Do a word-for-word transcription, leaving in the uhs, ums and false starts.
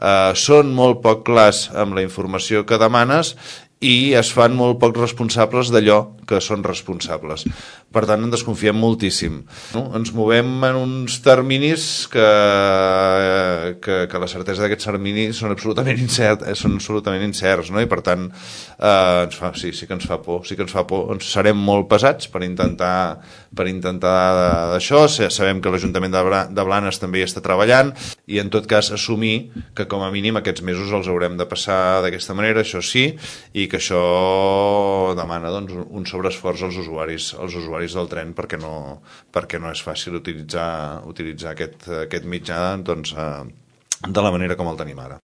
eh, són molt poc clars amb la informació que demanes i es fan molt poc responsables d'allò que són responsables. Per tant, en desconfiem moltíssim. No? Ens movem en uns terminis que, que, que la certesa d'aquests terminis són absolutament, incert, són absolutament incerts, no? I per tant, eh, ens fa, sí, sí que ens fa por, sí que ens fa por. Ens serem molt pesats per intentar, per intentar d'això. Sabem que l'Ajuntament de Blanes també hi està treballant i, en tot cas, assumir que, com a mínim, aquests mesos els haurem de passar d'aquesta manera, això sí, i que això demana doncs, un sobreesforç als usuaris, als usuaris del tren perquè no, perquè no és fàcil utilitzar, utilitzar aquest, aquest mitjà doncs, de la manera com el tenim ara.